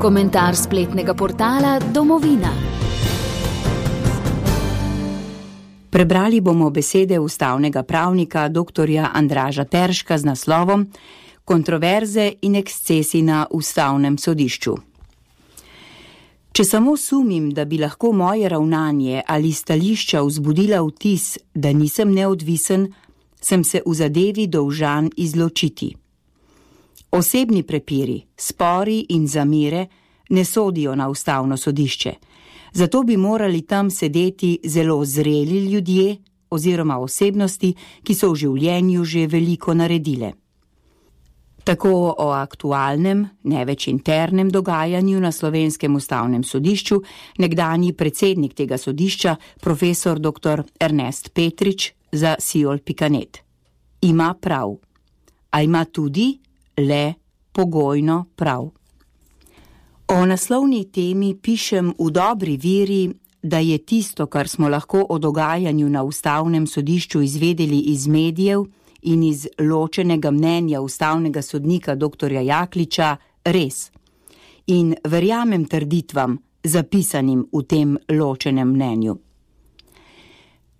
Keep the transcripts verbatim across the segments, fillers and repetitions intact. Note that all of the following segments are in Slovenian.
Komentar spletnega portala Domovina. Prebrali bomo besede ustavnega pravnika doktorja Andraža Terška z naslovom Kontroverze in ekscesi na ustavnem sodišču. Če samo sumim, da bi lahko moje ravnanje ali stališča vzbudila vtis, da nisem neodvisen, sem se v zadevi dolžan izločiti. Osebni prepiri, spori in zamere ne sodijo na ustavno sodišče, zato bi morali tam sedeti zelo zreli ljudje oziroma osebnosti, ki so v življenju že veliko naredile. Tako o aktualnem, ne več internem dogajanju na Slovenskem ustavnem sodišču nekdanji predsednik tega sodišča, profesor doktor Ernest Petrič za siol pika net. Ima prav, a ima tudi le pogojno prav. O naslovni temi pišem v dobri veri, da je tisto, kar smo lahko o dogajanju na ustavnem sodišču izvedeli iz medijev in iz ločenega mnenja ustavnega sodnika doktorja Jakliča, res. In verjamem trditvam, zapisanim v tem ločenem mnenju.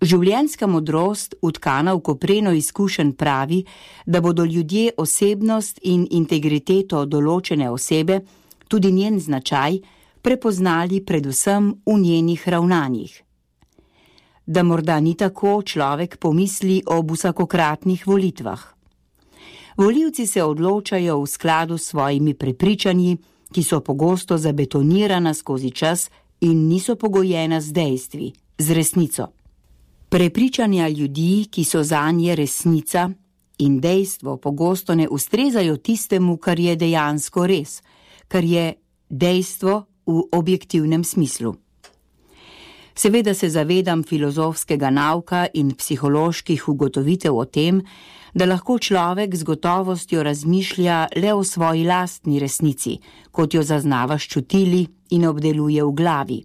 Življenjska modrost, utkana v kopreno izkušenj, pravi, da bodo ljudje osebnost in integriteto določene osebe, tudi njen značaj, prepoznali predvsem v njenih ravnanjih. Da morda ni tako, človek pomisli ob vsakokratnih volitvah. Volivci se odločajo v skladu s svojimi prepričanji, ki so pogosto zabetonirana skozi čas in niso pogojena z dejstvi, z resnico. Prepričanja ljudi, ki so zanje resnica in dejstvo, pogosto ne ustrezajo tistemu, kar je dejansko res, kar je dejstvo v objektivnem smislu. Seveda se zavedam filozofskega nauka in psiholoških ugotovitev o tem, da lahko človek z gotovostjo razmišlja le o svoji lastni resnici, kot jo zaznava s čutili in obdeluje v glavi.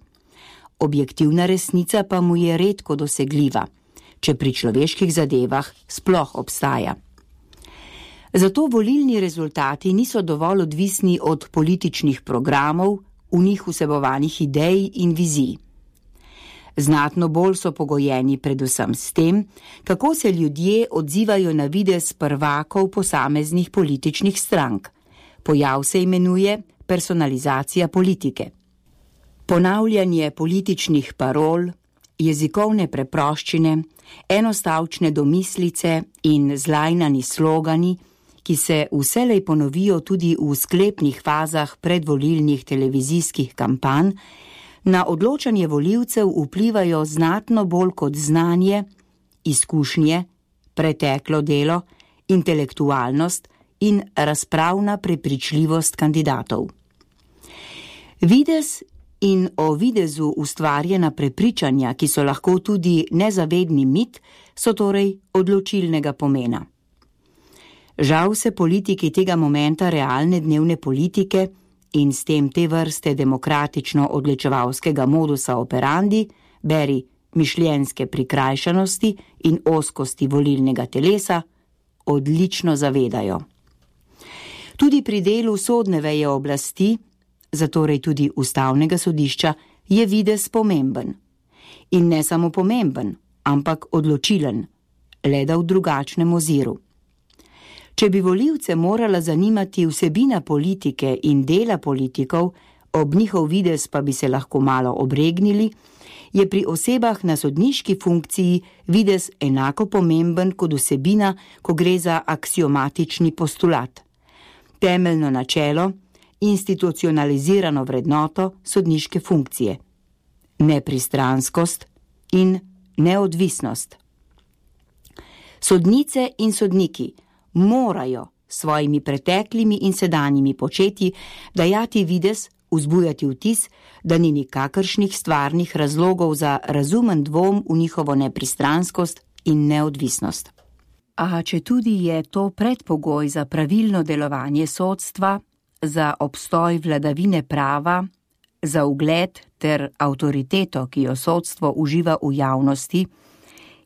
Objektivna resnica pa mu je redko dosegljiva, če pri človeških zadevah sploh obstaja. Zato volilni rezultati niso dovolj odvisni od političnih programov, v njih vsebovanih idej in vizij. Znatno bolj so pogojeni predvsem s tem, kako se ljudje odzivajo na videz prvakov posameznih političnih strank. Pojav se imenuje personalizacija politike. Ponavljanje političnih parol, jezikovne preproščine, enostavčne domislice in zlajnani slogani, ki se vselej ponovijo tudi v sklepnih fazah predvolilnih televizijskih kampanj, na odločanje volivcev vplivajo znatno bolj kot znanje, izkušnje, preteklo delo, intelektualnost in razpravna prepričljivost kandidatov. Videz in o videzu ustvarjena prepričanja, ki so lahko tudi nezavedni mit, so torej odločilnega pomena. Žal se politiki tega momenta realne dnevne politike in s tem te vrste demokratično-odločevalskega modusa operandi, beri mišljenjske prikrajšanosti in ozkosti volilnega telesa, odlično zavedajo. Tudi pri delu sodne veje oblasti, zatorej tudi ustavnega sodišča, je videz pomemben. In ne samo pomemben, ampak odločilen, le da v drugačnem oziru. Če bi volivce morala zanimati vsebina politike in dela politikov, ob njihov videz pa bi se lahko malo obregnili, je pri osebah na sodniški funkciji videz enako pomemben kot vsebina, ko gre za aksiomatični postulat. Temeljno načelo, institucionalizirano vrednoto sodniške funkcije. Nepristranskost in neodvisnost. Sodnice in sodniki morajo svojimi preteklimi in sedanjimi početji dajati videz, vzbujati vtis, da ni nikakršnih stvarnih razlogov za razumen dvom v njihovo nepristranskost in neodvisnost. A če tudi je to predpogoj za pravilno delovanje sodstva, za obstoj vladavine prava, za ugled ter avtoriteto, ki jo sodstvo uživa v javnosti,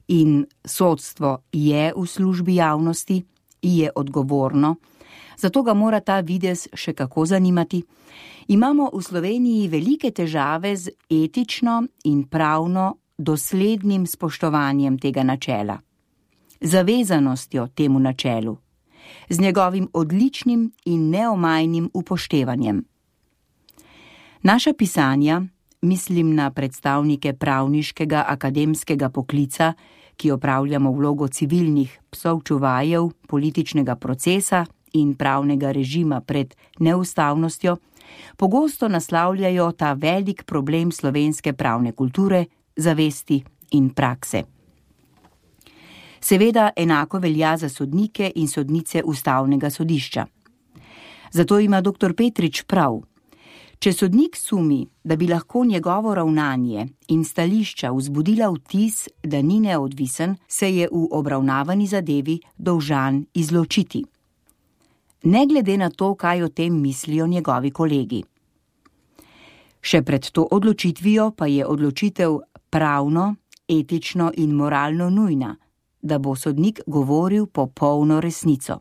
in sodstvo je v službi javnosti, je odgovorno, zato ga mora ta videz še kako zanimati. Imamo v Sloveniji velike težave z etično in pravno doslednim spoštovanjem tega načela, zavezanostjo temu načelu, z njegovim odličnim in neomajnim upoštevanjem. Naša pisanja, mislim na predstavnike pravniškega akademskega poklica, ki opravljamo vlogo civilnih psov čuvajev političnega procesa in pravnega režima pred neustavnostjo, pogosto naslavljajo ta velik problem slovenske pravne kulture, zavesti in prakse. Seveda enako velja za sodnike in sodnice Ustavnega sodišča. Zato ima doktor Petrič prav. Če sodnik sumi, da bi lahko njegovo ravnanje in stališča vzbudila vtis, da ni neodvisen, se je v obravnavani zadevi dolžan izločiti. Ne glede na to, kaj o tem mislijo njegovi kolegi. Še pred to odločitvijo pa je odločitev pravno, etično in moralno nujna, da bo sodnik govoril popolno resnico.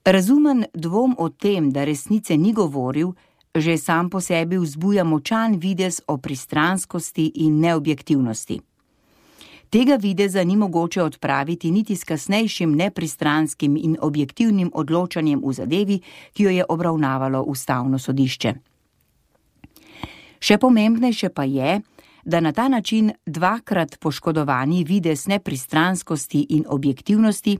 Razumen dvom o tem, da resnice ni govoril, že sam po sebi vzbuja močan videz o pristranskosti in neobjektivnosti. Tega videza ni mogoče odpraviti niti s kasnejšim nepristranskim in objektivnim odločanjem v zadevi, ki jo je obravnavalo Ustavno sodišče. Še pomembnejše pa je, da na ta način dvakrat poškodovani videz nepristranskosti in objektivnosti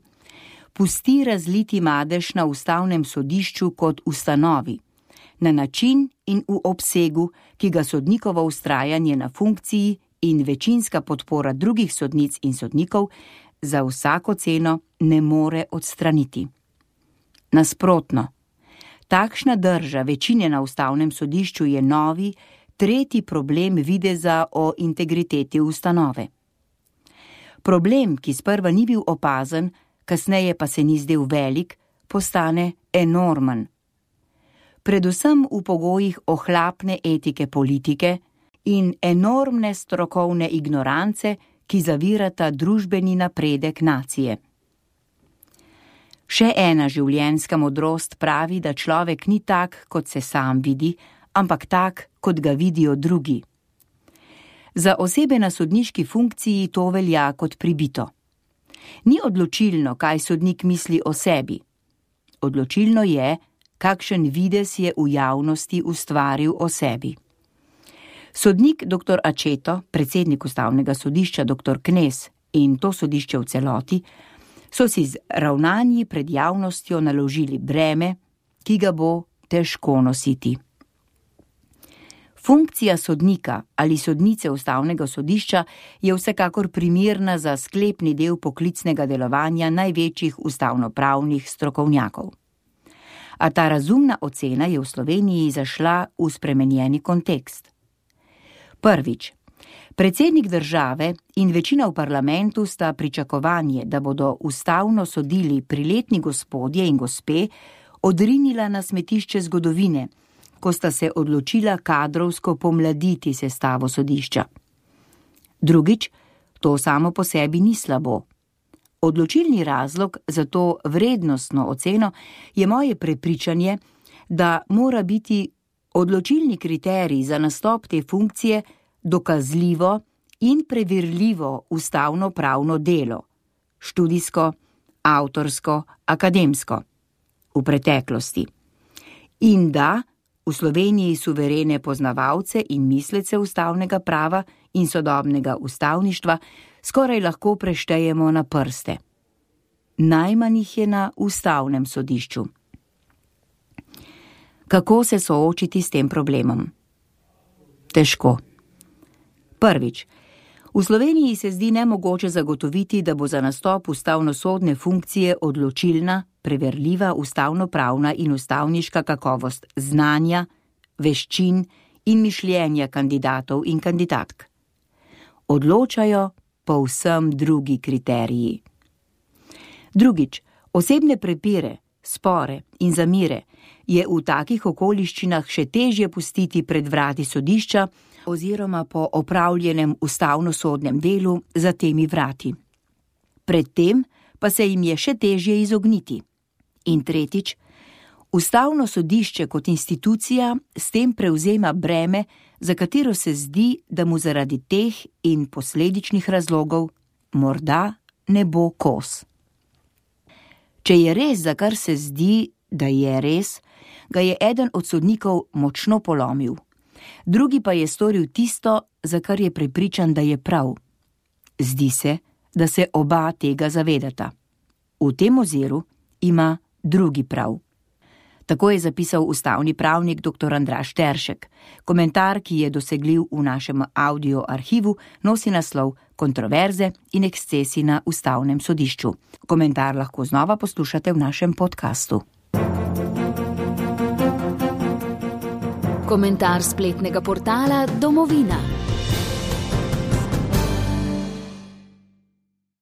pusti razliti madež na Ustavnem sodišču kot ustanovi, na način in v obsegu, ki ga sodnikovo vztrajanje na funkciji in večinska podpora drugih sodnic in sodnikov za vsako ceno ne more odstraniti. Nasprotno, takšna drža večine na Ustavnem sodišču je novi, tretji problem videza o integriteti ustanove. Problem, ki sprva ni bil opazen, kasneje pa se ni zdel velik, postane enormen. Predvsem v pogojih ohlapne etike politike in enormne strokovne ignorance, ki zavirata družbeni napredek nacije. Še ena življenjska modrost pravi, da človek ni tak, kot se sam vidi, ampak tak, kot ga vidijo drugi. Za osebe na sodniški funkciji to velja kot pribito. Ni odločilno, kaj sodnik misli o sebi. Odločilno je, kakšen videz je v javnosti ustvaril o sebi. Sodnik doktor Accetto, predsednik Ustavnega sodišča doktor Knez in to sodišče v celoti, so si z ravnanji pred javnostjo naložili breme, ki ga bo težko nositi. Funkcija sodnika ali sodnice Ustavnega sodišča je vsekakor primerna za sklepni del poklicnega delovanja največjih ustavnopravnih strokovnjakov. A ta razumna ocena je v Sloveniji zašla v spremenjeni kontekst. Prvič, predsednik države in večina v parlamentu sta pričakovanje, da bodo ustavno sodili priletni gospodje in gospe, odrinila na smetišče zgodovine, ko sta se odločila kadrovsko pomladiti sestavo sodišča. Drugič, to samo po sebi ni slabo. Odločilni razlog za to vrednostno oceno je moje prepričanje, da mora biti odločilni kriterij za nastop te funkcije dokazljivo in preverljivo ustavno-pravno delo, študijsko, avtorsko, akademsko, v preteklosti. In da v Sloveniji suverene poznavalce in mislece ustavnega prava in sodobnega ustavništva skoraj lahko preštejemo na prste. Najmanj jih je na Ustavnem sodišču. Kako se soočiti s tem problemom? Težko. Prvič, v Sloveniji se zdi nemogoče zagotoviti, da bo za nastop ustavnosodne funkcije odločilna, preverljiva ustavnopravna in ustavniška kakovost znanja, veščin in mišljenja kandidatov in kandidatk. Odločajo povsem drugi kriteriji. Drugič, osebne prepire, spore in zamire je v takih okoliščinah še težje pustiti pred vrati sodišča oziroma po opravljenem ustavnosodnem delu za temi vrati. Predtem pa se jim je še težje izogniti. In tretjič, Ustavno sodišče kot institucija s tem prevzema breme, za katero se zdi, da mu zaradi teh in posledičnih razlogov morda ne bo kos. Če je res, za kar se zdi, da je res, ga je eden od sodnikov močno polomil. Drugi pa je storil tisto, za kar je prepričan, da je prav. Zdi se, da se oba tega zavedata. V tem oziru ima drugi prav. Tako je zapisal ustavni pravnik dr. Andraž Teršek. Komentar, ki je dosegljiv v našem audio arhivu, nosi naslov Kontroverze in ekscesi na Ustavnem sodišču. Komentar lahko znova poslušate v našem podkastu. Komentar spletnega portala Domovina.